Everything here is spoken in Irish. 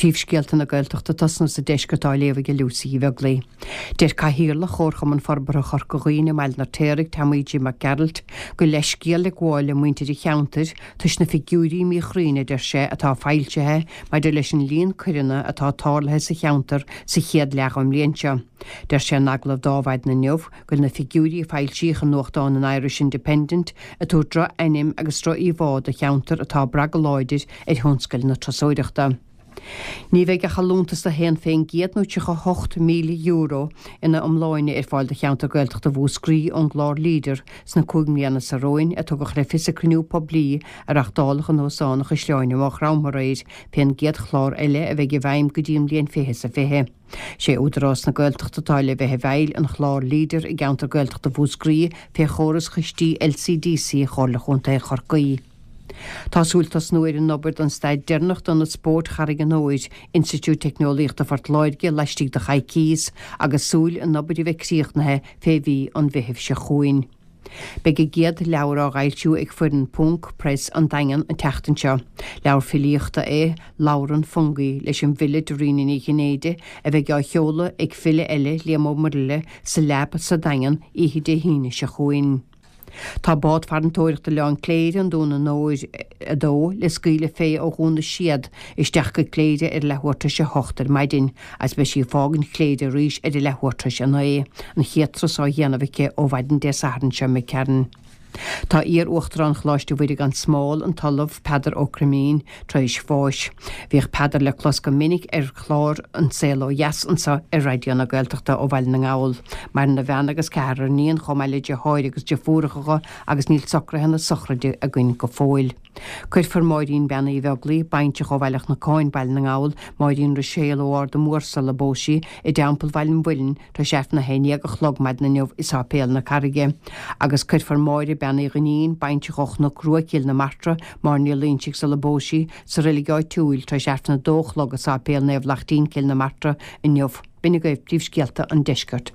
Príomhscéalta na Gaeltachta ag tosnú sa deisceart á léamh ag Lucy Uí Bheaglaoi. Deir Cathaoirleach Chomharchumann Forbartha Chorca Dhuibhne i mBaile an Fheirtéaraigh, Tommy Jim Mac Gearailt, go bhfuil leithscéal le gabháil le muintir an cheantair toisc na figiúirí míchruinne, a deir sé, atá foilsithe maidir leis an líon coireanna atá tarlaithe sa cheantar sa chéad leath den mbliain seo. Deir sé in agallamh d'Adhmhaidin inniu go bhfuil na figiúirí a foilsíodh i nuachtán an Irish Independent ag tabhairt droch-ainm agus droch-íomhá do cheantar atá ag brath go láidir ar thionscal na turasóireachta. Ní bheidh ach allúntas de 1% nó €38,000 ina iomláine ar fáil do cheantar Gaeltachta Mhúscraí ón gclár Leader sna 5 mbliana seo romhainn, a tugadh le fios ag cruinniú poiblí a reáchtáladh in Óstán an Chaisleáin i Maigh Chromtha aréir fén gcéad chlár eile a bheidh i bhfeidhm go dtí an bhliain 2020. Sé Údarás na Gaeltachta atá le bheith i bhfeighil an chláir Leader i gceantar Gaeltachta Mhúscraí fé chóras chistí LCDC Chomhairle Chontae Chorcaí. Tá súil tosnú ar an obair don staid deireanach d'Ionad Spóirt Charraig an Óir, Institiúid Teicneolaíochta Phort Láirge, laistigh de choicíos, agus súil an obair a bheith críochnaithe fé mhí an Mheithimh seo chugainn. Beidh a gcéad leabhar á fhoilsiú ag foireann Ponc Press an Daingean an tseachtain seo. Leabhar filíochta é Labhrann Fungie leis an bhfile Dairena Ní Chinnéide a bheidh á sheoladh ag file eile, Liam Ó Muirthile, sa Lab sa Daingean oíche Dé hAoine seo chugainn. Tá bád farantóireachta Oileán Cléire, an Dún Onóir 2, le scaoileadh fé ó Dhún na Séad isteach go Cléire ar a leathuair tar éis a hocht ar maidin agus beidh sí ag fágaint Chléire arís ar a leathuair tar éis a naoi, an chéad turas á dhéanamh aici ó mhaidin Dé Sathairn seo imigh tharainn. Tá iar-Uachtarán Choláiste Mhuire gan Smál, an tOllamh Peadar Ó Croimín, tar éis bháis. Bhíodh Peadar le clos go minic ar chlár An Saol Ó Dheas anseo ar Raidió na Gaeltachta ó Bhaile na nGall. Maireann a bhean agus ceathrar iníon chomh maith le deartháir agus deirfiúracha agus níl socruithe na sochraide againn go fóill. Cuirfear Máirín Bean Uí Bheaglaoi, baintreach ó Bhaile Chnocáin, Baile na nGall, Máirín Ruiséal ó Ard an Mhóir sula bpós sí, i dTeampall Bhaile an Mhuilinn, tar éis Aifreann a haon dhéag a chlog maidin inniu i Sáipéal na Carraige. Agus cuirfear Máire Bean Uí Dhuinnín, baintreach ó Chnoc Rua, Cill na Martra, Máire Ní Loingsigh sula bpós sí, sa reilig áitiúil, tar éis Aifreann a dó a chlog i Sáipéal Naomh Lachtín, Cill na Martra, inniu. B'in agaibh príomhscéalta an deiscirt.